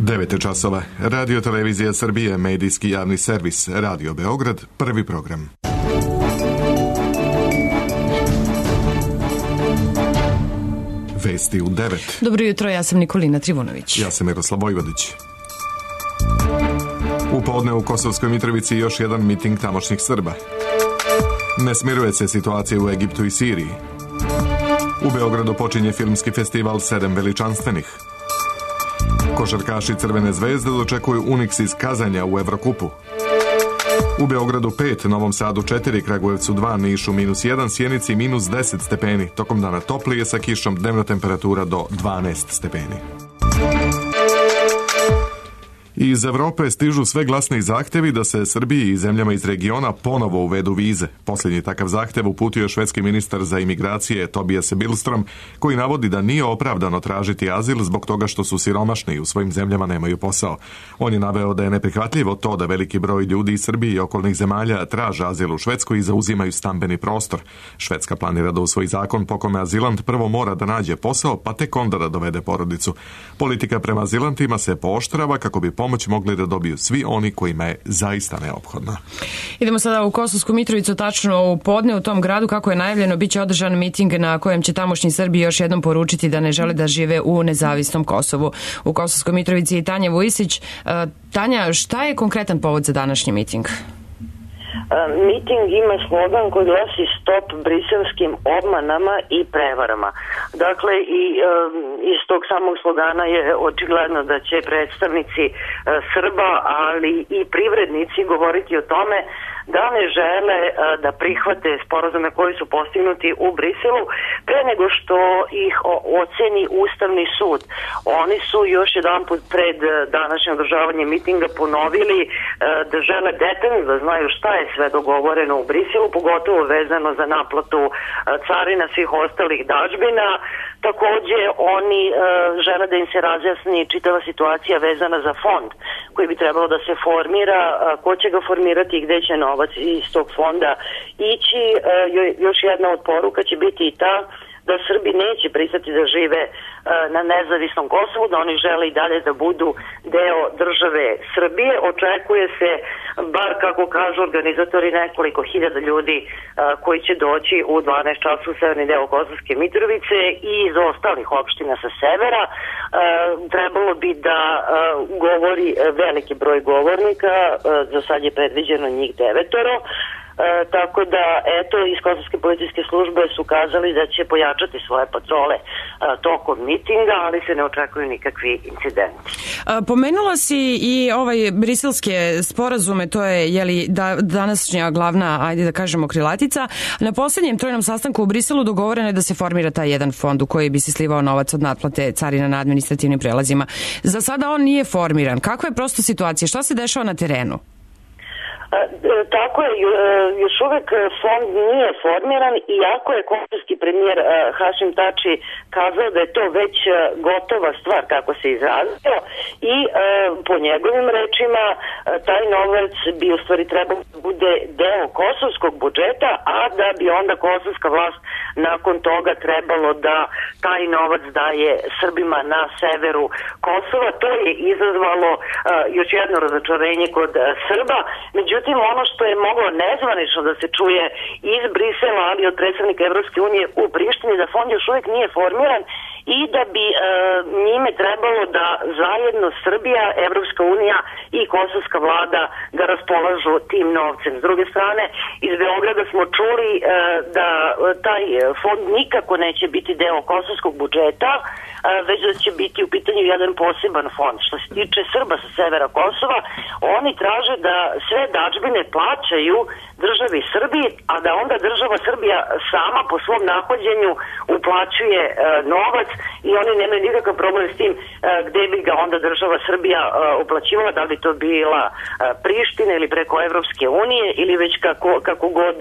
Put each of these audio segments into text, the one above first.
9 časova. Radio Televizija Srbije, medijski javni servis, Radio Beograd, prvi program. Vesti u 9. Dobro jutro, ja sam Nikolina Trivunović. Ja sam Miroslav Vojvodić. U podne u Kosovskoj Mitrovici još jedan miting tamošnjih Srba. Ne smiruje se situacija u Egiptu i Siriji. U Beogradu počinje filmski festival 7 veličanstvenih. Košarkaši Crvene zvezde dočekuju Unix iz Kazanja u Evrokupu. U Beogradu 5, Novom Sadu 4, Kragujevcu 2, Nišu -1, Sjenici -10 stepeni. Tokom dana toplije sa kišom, dnevna temperatura do 12 stepeni. Iz Evrope stižu sve glasniji zahtevi da se Srbiji i zemljama iz regiona ponovo uvedu vize. Posljednji takav zahtev uputio švedski ministar za imigracije Tobias Billström, koji navodi da nije opravdano tražiti azil zbog toga što su siromašni i u svojim zemljama nemaju posao. On je naveo da je neprihvatljivo to da veliki broj ljudi iz Srbije i okolnih zemalja traže azil u Švedskoj i zauzimaju stambeni prostor. Švedska planira da usvoji zakon po kome azilant prvo mora da nađe posao, pa tek onda da dovede porodicu. Politika prema azilantima se pooštrava kako bi pomoć mogli da dobiju svi oni kojima je zaista neophodna. Idemo sada u Kosovsku Mitrovicu, tačno u podne u tom gradu, kako je najavljeno, bit će održan miting na kojem će tamošnji Srbi još jednom poručiti da ne žele da žive u nezavisnom Kosovu. U Kosovskoj Mitrovici je Tanja Vujisić. Tanja, šta je konkretan povod za današnji miting? Miting ima slogan koji glasi stop briselskim obmanama i prevarama. Dakle, i iz tog samog slogana je očigledno da će predstavnici Srba, ali i privrednici govoriti o tome da ne žele da prihvate sporazume koji su postignuti u Briselu pre nego što ih oceni Ustavni sud. Oni su još jedan put pred današnje održavanje mitinga ponovili da žele detaljno da znaju šta je sve dogovoreno u Briselu, pogotovo vezano za naplatu carina svih ostalih dažbina. Takođe, oni žele da im se razjasni čitava situacija vezana za fond koji bi trebalo da se formira, ko će ga formirati i gde će novac iz tog fonda ići. Još jedna od poruka će biti i ta da Srbi neće pristati da žive na nezavisnom Kosovu, da oni žele i dalje da budu deo države Srbije. Očekuje se, bar kako kažu organizatori, nekoliko hiljada ljudi koji će doći u 12 času u severni deo Kosovske Mitrovice i iz ostalih opština sa severa. Trebalo bi da govori veliki broj govornika, za sad je predviđeno njih 9. Tako da, eto, iz Kosovske policijske službe su kazali da će pojačati svoje patrole tokom mitinga, ali se ne očekuju nikakvi incidenti. Pomenula si i briselske sporazume, to je današnja glavna, ajde da kažemo, krilatica. Na posljednjem trojnom sastanku u Briselu dogovoreno je da se formira taj jedan fond u koji bi se slivao novac od naplate carina na administrativnim prelazima. Za sada on nije formiran. Kakva je prosto situacija? Šta se dešava na terenu? Tako je, još uvek fond nije formiran, iako je kosovski premijer Hašim Tači kazao da je to već gotova stvar, kako se izrazio, i po njegovim rečima taj novac bi u stvari trebao da bude deo kosovskog budžeta, a da bi onda kosovska vlast nakon toga trebalo da taj novac daje Srbima na severu Kosova. To je izazvalo još jedno razočarenje kod Srba. Međutim, ono što je moglo nezvanično da se čuje iz Brisela, ali od predstavnika Evropske unije u Prištini, da fond još uvijek nije formiran i da bi njime trebalo da zajedno Srbija, Evropska unija i kosovska vlada da raspolažu tim novcem. S druge strane, iz Beograda smo čuli da taj fond nikako neće biti deo kosovskog budžeta, već da će biti u pitanju jedan poseban fond. Što se tiče Srba sa severa Kosova, oni traže da sve dažbine plaćaju državi Srbiji, a da onda država Srbija sama po svom nahođenju uplaćuje novac i oni nemaju nikakav problem s tim gde bi ga onda država Srbija uplaćivala, da bi to bila Priština ili preko Evropske unije ili već kako god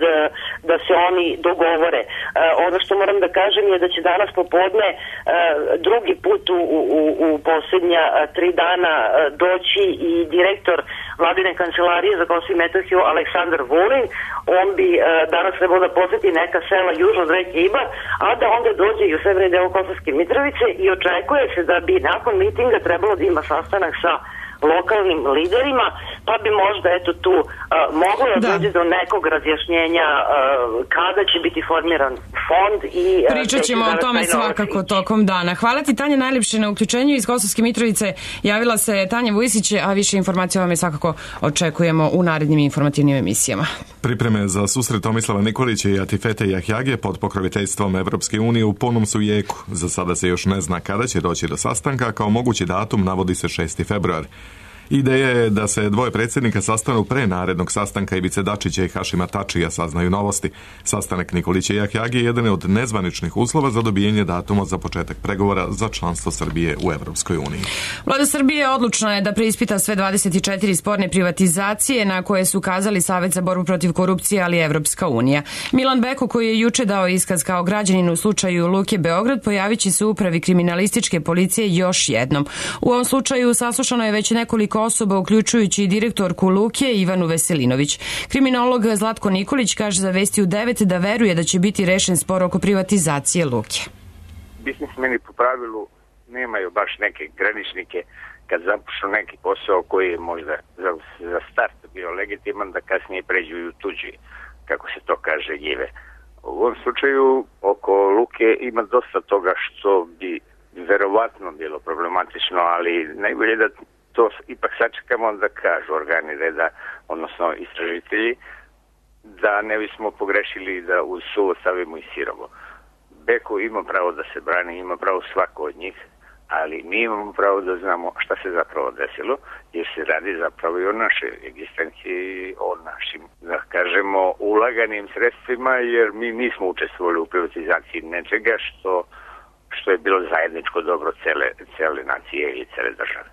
da se oni dogovore. Ono što moram da kažem je da će danas popodne drugi put u posljednja 3 dana doći i direktor vladine kancelarije za Kosovo i Metohiju Aleksandar Vulin. On bi danas trebao da poseti neka sela južno od reke Ibar, a da onda dođe i u severni deo Kosovske Mitrovice i očekuje se da bi nakon mitinga trebalo da ima sastanak sa lokalnim liderima, pa bi možda tu moglo da dođe do nekog razjašnjenja kada će biti formiran fond i pričat ćemo o tome svakako tokom dana. Hvala ti, Tanja, najljepše na uključenju. Iz Kosovske Mitrovice javila se Tanja Vujisić, a više informacija vam je svakako očekujemo u narednim informativnim emisijama. Pripreme za susret Tomislava Nikolića i Atifete Jahjage pod pokroviteljstvom Evropske unije u punom su jeku. Za sada se još ne zna kada će doći do sastanka, kao mogući datum navodi se 6. februar. Ideja je da se dvoje predsjednika sastanu pre narednog sastanka Ivice Dačića i Hašima Tačija, saznaju Novosti. Sastanak Nikolića i Jahjage je jedan od nezvaničnih uslova za dobijanje datuma za početak pregovora za članstvo Srbije u Evropskoj uniji. Vlada Srbije odlučna je da preispita sve 24 sporne privatizacije na koje su ukazali Savet za borbu protiv korupcije, ali i Evropska unija. Milan Beko, koji je juče dao iskaz kao građanin u slučaju Luke Beograd, pojavit će se u upravi kriminalističke policije još jednom. U ovom slučaju saslušano je već nekoliko osoba, uključujući i direktorku Luke Ivanu Veselinović. Kriminolog Zlatko Nikolić kaže za Vesti u 9 da veruje da će biti rešen spor oko privatizacije Luke. Biznismeni po pravilu nemaju baš neke graničnike kad započnu neki posao koji je možda za start bio legitiman, da kasnije pređu i u tuđi, kako se to kaže, njive. U ovom slučaju oko Luke ima dosta toga što bi verovatno bilo problematično, ali najbolje da to ipak sačekamo da kažu organi reda, odnosno istražitelji, da ne bismo pogrešili da uz suvo stavimo i sirovo. Beko ima pravo da se brani, ima pravo svako od njih, ali mi imamo pravo da znamo šta se zapravo desilo, jer se radi zapravo i o našoj egzistenciji, o našim, da kažemo, ulaganim sredstvima, jer mi nismo učestvovali u privatizaciji nečega što je bilo zajedničko dobro cele nacije i cele države.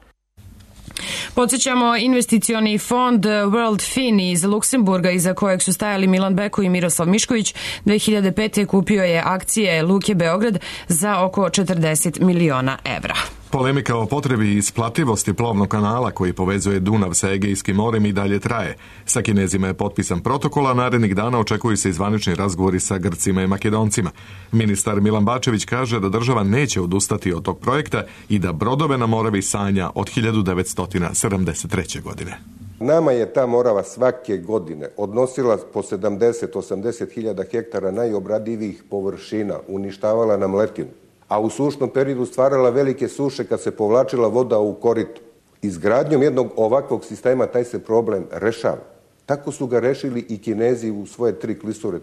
Podsjećamo, investicioni fond World Fin iz Luksemburga, iza kojeg su stajali Milan Beko i Miroslav Mišković, 2005. kupio je akcije Luke Beograd za oko 40 miliona evra. Polemika o potrebi i isplativosti plovnog kanala koji povezuje Dunav sa Egejskim morem i dalje traje. Sa Kinezima je potpisan protokol, a narednih dana očekuju se i zvanični razgovori sa Grcima i Makedoncima. Ministar Milan Bačević kaže da država neće odustati od tog projekta i da brodove na Moravi sanja od 1973. godine. Nama je ta Morava svake godine odnosila po 70-80 hiljada hektara najobradivijih površina, uništavala nam letinu, a u sušnom periodu stvarala velike suše kad se povlačila voda u koritu. Izgradnjom jednog ovakvog sistema taj se problem rešava. Tako su ga rešili i Kinezi u svoje 3 klisure.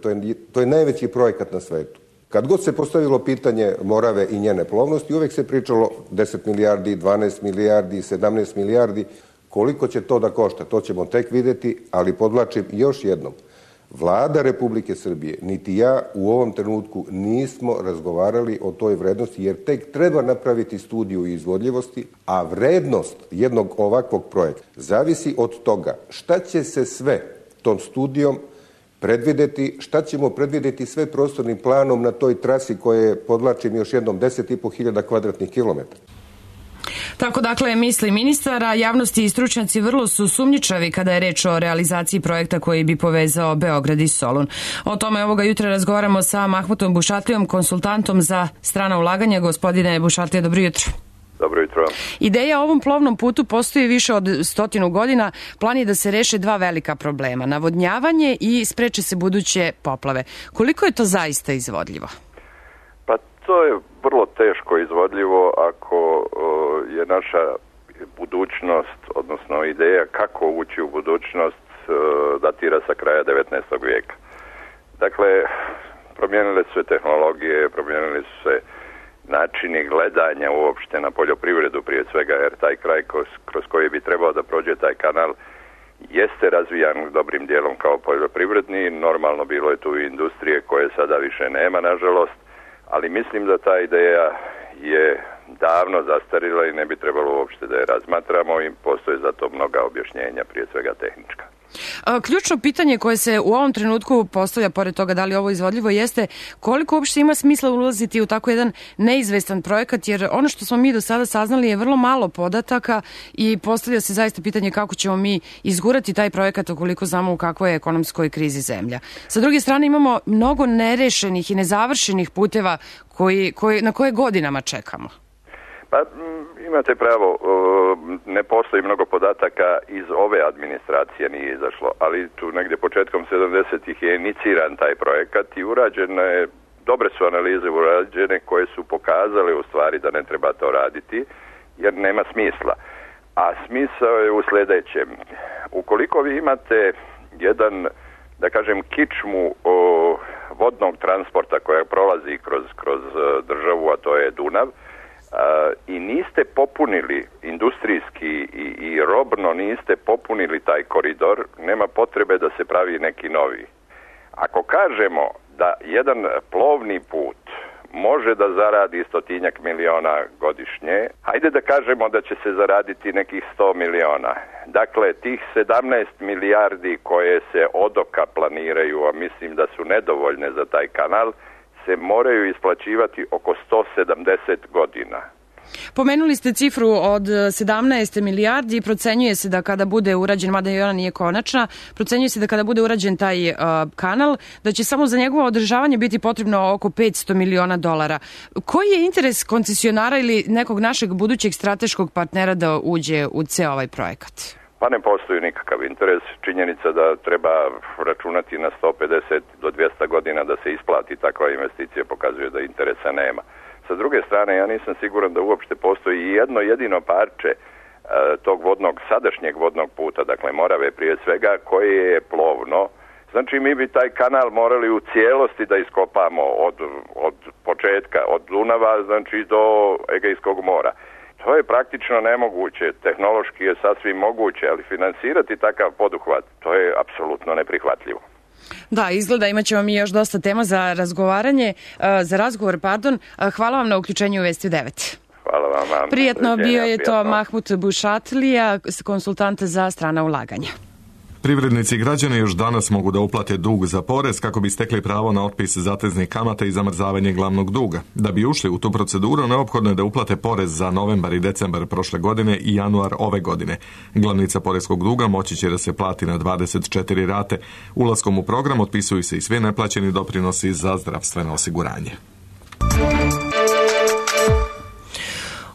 To je najveći projekat na svetu. Kad god se postavilo pitanje Morave i njene plovnosti, uvek se pričalo 10 milijardi, 12 milijardi, 17 milijardi. Koliko će to da košta, to ćemo tek videti, ali podvlačim još jednom. Vlada Republike Srbije, niti ja u ovom trenutku nismo razgovarali o toj vrednosti, jer tek treba napraviti studiju izvodljivosti, a vrednost jednog ovakvog projekta zavisi od toga šta će se sve tom studijom predvideti, šta ćemo predvideti sve prostornim planom na toj trasi koja je, podvlačim još jednom, 10.500 kvadratnih kilometara. Tako dakle misli ministara, javnosti i stručnjaci vrlo su sumnjičavi kada je reč o realizaciji projekta koji bi povezao Beograd i Solun. O tome ovoga jutra razgovaramo sa Mahmutom Bušatlijom, konsultantom za strana ulaganja. Gospodine Bušatlija, dobro jutro. Dobro jutro. Ideja o ovom plovnom putu postoji više od 100 godina. Plan je da se reše 2 velika problema, navodnjavanje i spreče se buduće poplave. Koliko je to zaista izvodljivo? Pa to je vrlo teško izvodljivo ako je naša budućnost, odnosno ideja kako ući u budućnost, datira sa kraja 19. vijeka. Dakle, promijenile su se tehnologije, promijenili su se načini gledanja uopšte na poljoprivredu prije svega, jer taj kraj kroz koji bi trebao da prođe taj kanal jeste razvijan dobrim dijelom kao poljoprivredni. Normalno bilo je tu i industrije koje sada više nema, nažalost, ali mislim da ta ideja je davno zastarila i ne bi trebalo uopšte da je razmatramo i postoje za to mnoga objašnjenja, prije svega tehnička. Ključno pitanje koje se u ovom trenutku postavlja, pored toga da li ovo izvodljivo, jeste koliko uopšte ima smisla ulaziti u tako jedan neizvestan projekat, jer ono što smo mi do sada saznali je vrlo malo podataka i postavlja se zaista pitanje kako ćemo mi izgurati taj projekat ukoliko znamo u kakvoj je ekonomskoj krizi zemlja. Sa druge strane imamo mnogo nerešenih i nezavršenih puteva na koje godinama čekamo. Pa imate pravo, ne postoji mnogo podataka iz ove administracije nije izašlo, ali tu negdje početkom 70-ih je iniciran taj projekat i urađene je, dobre su analize urađene koje su pokazale u stvari da ne treba to raditi jer nema smisla. A smisao je u sljedećem. Ukoliko vi imate jedan, da kažem, kičmu vodnog transporta koja prolazi kroz državu, a to je Dunav, i niste popunili industrijski i robno niste popunili taj koridor, nema potrebe da se pravi neki novi. Ako kažemo da jedan plovni put može da zaradi 100 miliona godišnje, hajde da kažemo da će se zaraditi nekih 100 miliona. Dakle, tih 17 milijardi koje se od oka planiraju, a mislim da su nedovoljne za taj kanal, se moraju isplaćivati oko 170 godina. Pomenuli ste cifru od 17 milijardi i procenjuje se da kada bude urađen, mada i ona nije konačna, procenjuje se da kada bude urađen taj kanal, da će samo za njegovo održavanje biti potrebno oko 500 miliona dolara. Koji je interes koncesionara ili nekog našeg budućeg strateškog partnera da uđe u ceo ovaj projekat? Pa ne postoji nikakav interes. Činjenica da treba računati na 150 do 200 godina da se isplati takva investicija pokazuje da interesa nema. Sa druge strane, ja nisam siguran da uopšte postoji jedno jedino parče tog sadašnjeg vodnog puta, dakle Morave prije svega, koje je plovno. Znači mi bi taj kanal morali u cijelosti da iskopamo od početka, od Dunava, znači do Egejskog mora. To je praktično nemoguće, tehnološki je sasvim moguće, ali finansirati takav poduhvat, to je apsolutno neprihvatljivo. Da, izgleda imat ćemo mi još dosta tema za razgovor. Hvala vam na uključenju u Vesti 9. Hvala vam. Prijetno, bio je to Mahmut Bušatlija, konsultant za strana ulaganja. Privrednici i građani još danas mogu da uplate dug za porez kako bi stekli pravo na otpis zateznih kamata i zamrzavanje glavnog duga. Da bi ušli u tu proceduru, neophodno je da uplate porez za novembar i decembar prošle godine i januar ove godine. Glavnica poreskog duga moći će da se plati na 24 rate. Ulaskom u program otpisuju se i svi neplaćeni doprinosi za zdravstveno osiguranje.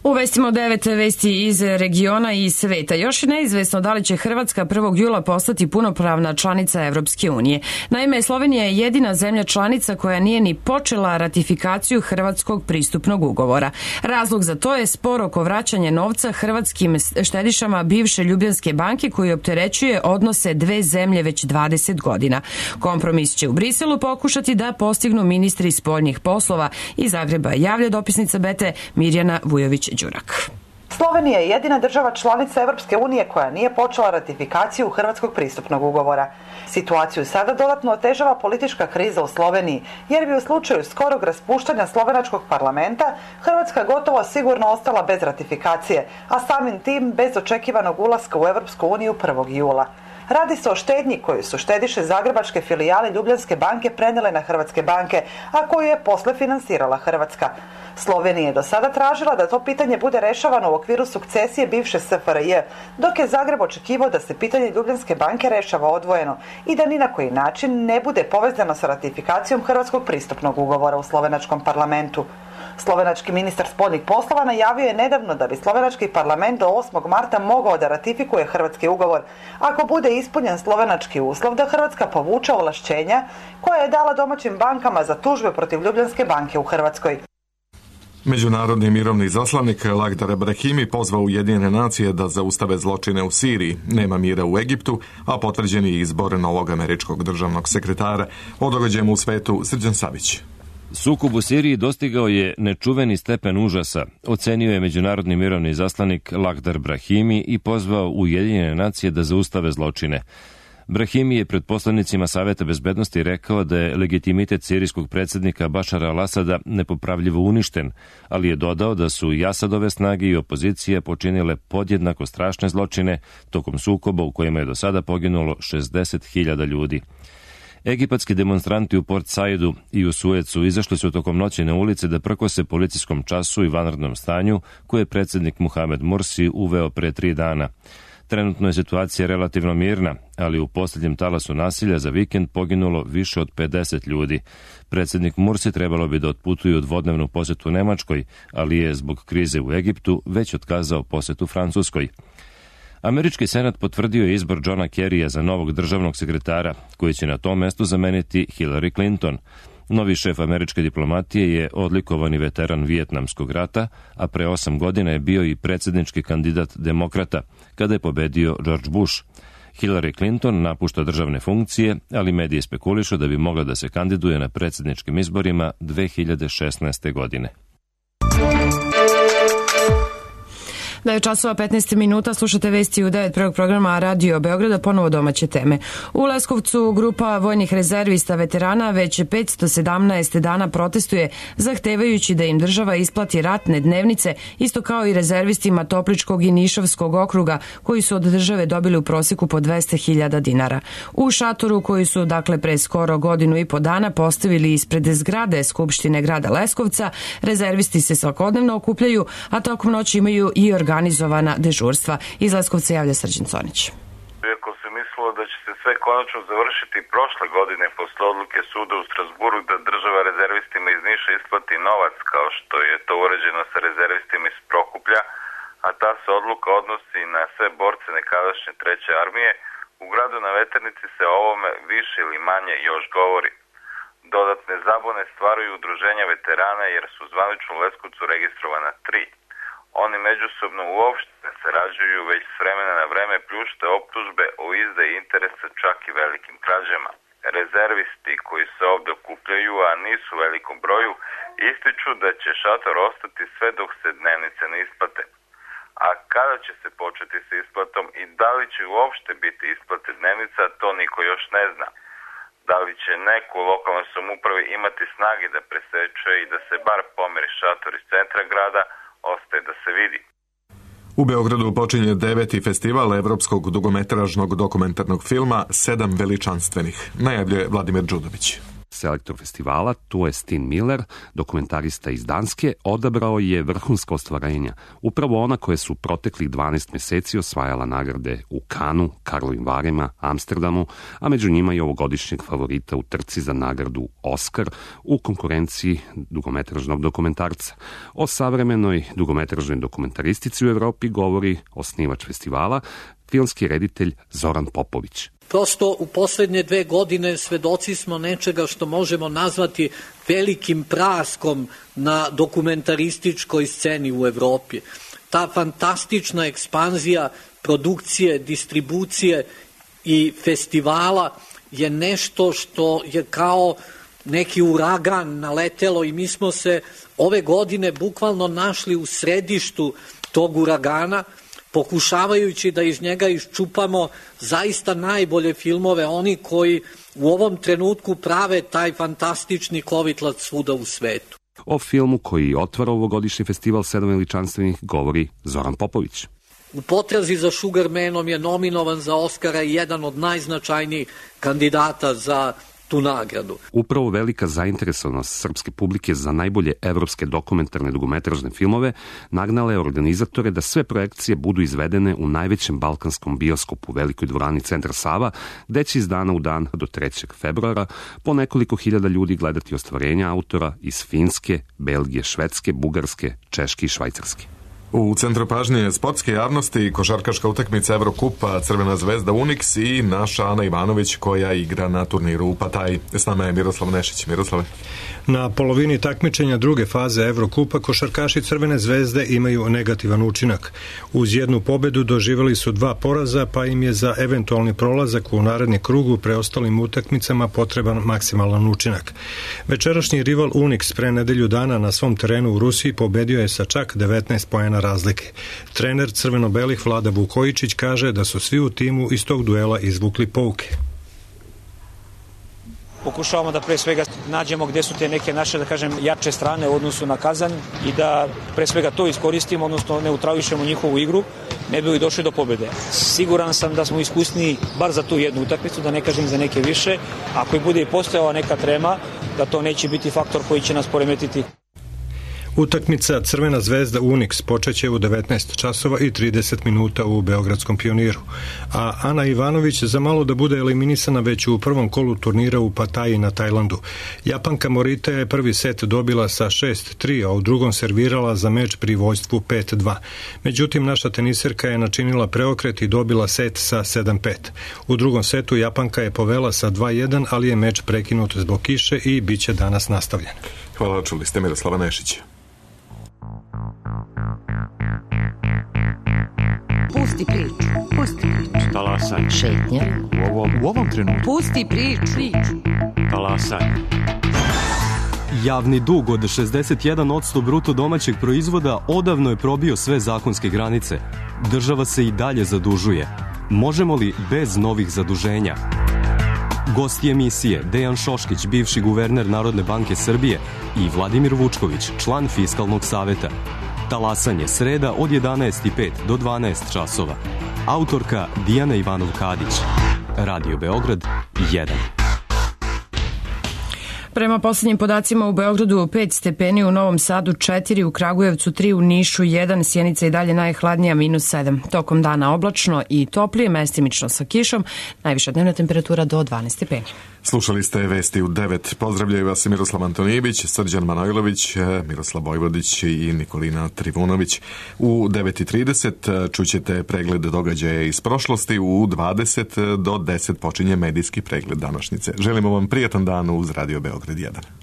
Uvestimo 9 vesti iz regiona i sveta. Još je neizvesno da li će Hrvatska 1. jula postati punopravna članica Evropske unije. Naime, Slovenija je jedina zemlja članica koja nije ni počela ratifikaciju Hrvatskog pristupnog ugovora. Razlog za to je spor oko vraćanja novca hrvatskim štedišama bivše Ljubljanske banke koji opterećuje odnose dve zemlje već 20 godina. Kompromis će u Briselu pokušati da postignu ministri spoljnih poslova. Iz Zagreba javlja dopisnica BT Mirjana Vujović-Đurak. Slovenija je jedina država članica Evropske unije koja nije počela ratifikaciju Hrvatskog pristupnog ugovora. Situaciju sada dodatno otežava politička kriza u Sloveniji, jer bi u slučaju skorog raspuštanja slovenačkog parlamenta Hrvatska gotovo sigurno ostala bez ratifikacije, a samim tim bez očekivanog ulaska u Evropsku uniju 1. jula. Radi se o štednji koju su štediše zagrebačke filijale Ljubljanske banke prenijele na hrvatske banke, a koju je posle finansirala Hrvatska. Slovenija je do sada tražila da to pitanje bude rešavano u okviru sukcesije bivše SFRJ, dok je Zagreb očekivao da se pitanje Ljubljanske banke rešava odvojeno i da ni na koji način ne bude povezano sa ratifikacijom Hrvatskog pristupnog ugovora u slovenačkom parlamentu. Slovenački ministar spoljnih poslova najavio je nedavno da bi slovenački parlament do 8. marta mogao da ratifikuje hrvatski ugovor ako bude ispunjen slovenački uslov da Hrvatska povuče ovlašćenja koja je dala domaćim bankama za tužbe protiv Ljubljanske banke u Hrvatskoj. Međunarodni mirovni zaslanik Lakhdar Brahimi pozvao Ujedinjene nacije da zaustave zločine u Siriji. Nema mira u Egiptu, a potvrđen je izbor novog američkog državnog sekretara. O događajima u svetu Srđan Savić. Sukob u Siriji dostigao je nečuveni stepen užasa, ocenio je međunarodni mirovni zaslanik Lakhdar Brahimi i pozvao Ujedinjene nacije da zaustave zločine. Brahimi je pred poslanicima Saveta bezbednosti rekao da je legitimitet sirijskog predsjednika Bašara al-Asada nepopravljivo uništen, ali je dodao da su i Asadove snage i opozicija počinile podjednako strašne zločine tokom sukoba u kojima je do sada poginulo 60.000 ljudi. Egipatski demonstranti u Port Saidu i u Suecu izašli su tokom noći na ulice da prkose policijskom času i vanrednom stanju koje je predsjednik Muhamed Mursi uveo pre 3 dana. Trenutno je situacija relativno mirna, ali u posljednjem talasu nasilja za vikend poginulo više od 50 ljudi. Predsjednik Mursi trebalo bi da otputuju u dvodnevnu posjetu Nemačkoj, ali je zbog krize u Egiptu već otkazao posjetu Francuskoj. Američki senat potvrdio je izbor Johna Kerrya za novog državnog sekretara, koji će na tom mestu zameniti Hillary Clinton. Novi šef američke diplomatije je odlikovani veteran Vijetnamskog rata, a pre 8 godina je bio i predsjednički kandidat demokrata, kada je pobedio George Bush. Hillary Clinton napušta državne funkcije, ali mediji spekulišu da bi mogla da se kandiduje na predsjedničkim izborima 2016. godine. Da je časova 15 minuta, slušate vesti u 9 prvog programa Radio Beograda, ponovo domaće teme. U Leskovcu grupa vojnih rezervista veterana već 517 dana protestuje, zahtevajući da im država isplati ratne dnevnice, isto kao i rezervistima Topličkog i Nišavskog okruga, koji su od države dobili u prosjeku po 200.000 dinara. U šatoru koji su, pre skoro godinu i po dana postavili ispred zgrade Skupštine grada Leskovca, rezervisti se svakodnevno okupljaju, a tokom noći imaju i organizovana dežurstva. Iz Leskovca javlja Srđan Conić. Iako se mislilo da će se sve konačno završiti prošle godine posle odluke suda u Strasburu da država rezervistima iz Niša isplati novac kao što je to uređeno sa rezervistima iz Prokuplja, a ta se odluka odnosi na sve borce nekadašnje 3. armije, u gradu na Veternici se o ovome više ili manje još govori. Dodatne zabune stvaraju udruženja veterana jer su zvanično u Leskovcu registrovana 3. Oni međusobno uopšte ne sarađuju, već s vremena na vreme pljušte optužbe o izdaji interesa čak i velikim krađama. Rezervisti koji se ovde okupljaju, a nisu u velikom broju, ističu da će šator ostati sve dok se dnevnice ne isplate. A kada će se početi sa isplatom i da li će uopšte biti isplate dnevnica, to niko još ne zna. Da li će neko u lokalnoj samoupravi imati snage da preseče i da se bar pomeri šator iz centra grada, ostaje da se vidi. U Beogradu počinje 9. festival evropskog dugometražnog dokumentarnog filma 7 veličanstvenih. Najavljuje Vladimir Đudović. Selektor festivala, to je Stin Miller, dokumentarista iz Danske, odabrao je vrhunska ostvarenja. Upravo ona koje su proteklih 12 meseci osvajala nagrade u Kanu, Karlovim Varima, Amsterdamu, a među njima i ovogodišnjeg favorita u trci za nagradu Oscar u konkurenciji dugometražnog dokumentarca. O savremenoj dugometražnoj dokumentaristici u Evropi govori osnivač festivala, filmski reditelj Zoran Popović. Prosto u poslednje 2 godine svedoci smo nečega što možemo nazvati velikim praskom na dokumentarističkoj sceni u Evropi. Ta fantastična ekspanzija produkcije, distribucije i festivala je nešto što je kao neki uragan naletelo i mi smo se ove godine bukvalno našli u središtu tog uragana, pokušavajući da iz njega iščupamo zaista najbolje filmove, oni koji u ovom trenutku prave taj fantastični kovitlac svuda u svetu. O filmu koji otvara ovogodišnji festival 7 veličanstvenih govori Zoran Popović. U potrazi za Sugarmanom je nominovan za Oscara i jedan od najznačajnijih kandidata za tu nagradu. Upravo velika zainteresovanost srpske publike za najbolje evropske dokumentarne dugometražne filmove nagnala je organizatore da sve projekcije budu izvedene u najvećem balkanskom bioskopu u velikoj dvorani Centar Sava, gde će iz dana u dan do 3. februara po nekoliko hiljada ljudi gledati ostvarenja autora iz Finske, Belgije, Švedske, Bugarske, Češke i Švajcarske. U centru pažnje sportske javnosti košarkaška utakmica Evrokupa Crvena zvezda Uniks i naša Ana Ivanović koja igra na turniru u Pataji. S nama je Miroslav Nešić. Miroslave. Na polovini takmičenja druge faze Evrokupa košarkaši Crvene zvezde imaju negativan učinak. Uz jednu pobedu doživjeli su 2 poraza, pa im je za eventualni prolazak u naredni krug u preostalim utakmicama potreban maksimalan učinak. Večerašnji rival Uniks pre nedelju dana na svom terenu u Rusiji pobedio je sa čak 19 poena razlike. Trener crveno-belih Vlada Vukojičić kaže da su svi u timu iz tog duela izvukli pouke. Pokušavamo da pre svega nađemo gde su te neke naše, da kažem, jače strane u odnosu na Kazanj i da pre svega to iskoristimo, odnosno neutrališemo njihovu igru, ne bi li došli do pobede. Siguran sam da smo iskusniji bar za tu jednu utakmicu, da ne kažem za neke više. Ako i bude i postojala neka trema, da to neće biti faktor koji će nas poremetiti. Utakmica Crvena zvezda Unix počeće u 19 časova i 30 minuta u Beogradskom Pioniru, a Ana Ivanović za malo da bude eliminisana već u prvom kolu turnira u Pataji na Tajlandu. Japanka Morita je prvi set dobila sa 6-3, a u drugom servirala za meč pri vođstvu 5-2. Međutim, naša teniserka je načinila preokret i dobila set sa 7-5. U drugom setu Japanka je povela sa 2-1, ali je meč prekinut zbog kiše i bit će danas nastavljen. Hvala, čuli ste Miroslava Nešića. Pusti priču. Pusti priču. Talasaj. Šetnja. U ovom trenutku. Pusti priču. Talasaj. Javni dug od 61% bruto domaćeg proizvoda odavno je probio sve zakonske granice. Država se i dalje zadužuje. Možemo li bez novih zaduženja? Gosti emisije Dejan Šoškić, bivši guverner Narodne banke Srbije, i Vladimir Vučković, član Fiskalnog saveta. Talasanje sreda od 11:05 do 12 časova. Autorka Dijana Ivanov-Kadić. Radio Beograd 1. Prema poslednjim podacima u Beogradu 5 stepeni, u Novom Sadu 4, u Kragujevcu 3, u Nišu 1, Sjenica i dalje najhladnija -7. Tokom dana oblačno i toplije, mestimično sa kišom, najviša dnevna temperatura do 12 stepeni. Slušali ste vesti u 9. Pozdravljaju vas Miroslav Antonijević, Srđan Manojlović, Miroslav Bojvodić i Nikolina Trivunović. U 9:30 čućete pregled događaja iz prošlosti, u 20 do 10 počinje medijski pregled današnjice. Želimo vam prijatan dan uz Radio Beograd 1.